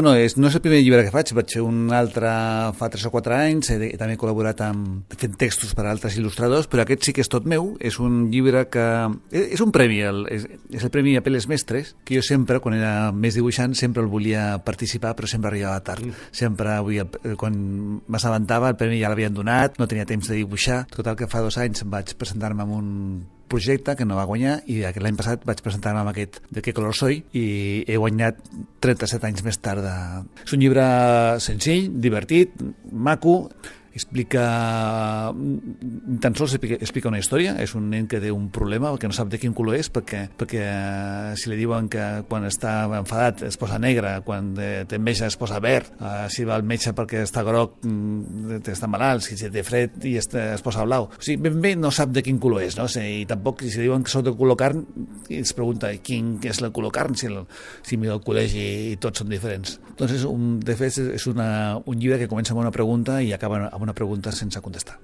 no és el primer llibre que faig fer un altre fa 3 o 4 anys, també he col·laborat fent textos per a altres il·lustradors, però aquest sí que és tot meu, és un llibre que és un premi, és el premi Apeles Mestres, que jo sempre, quan era més dibuixant, sempre el volia participar, però sempre arribava tard. Sempre, quan m'assabentava, el premi ja l'havien donat, no tenia temps de dibuixar. Total que fa 2 anys vaig presentar-me en un projecte que no va guanyar i l'any passat vaig presentar-me amb aquest De qué color soy i he guanyat 37 anys més tard. És un llibre senzill, divertit, maco, tan sols explica una història. És un nen que té un problema, que no sap de quin color és, perquè si li diuen que quan està enfadat es posa negre, quan té enveja es posa verd, si va al metge perquè està groc està malalt, si té fred i es posa blau. O sigui, ben bé no sap de quin color és, no? I tampoc si diuen que soc de color carn es pregunta quin és el color carn, si mira el col·legi i tots són diferents. Doncs de fet és un llibre que comença amb una pregunta i acaba amb una pregunta sense contestar.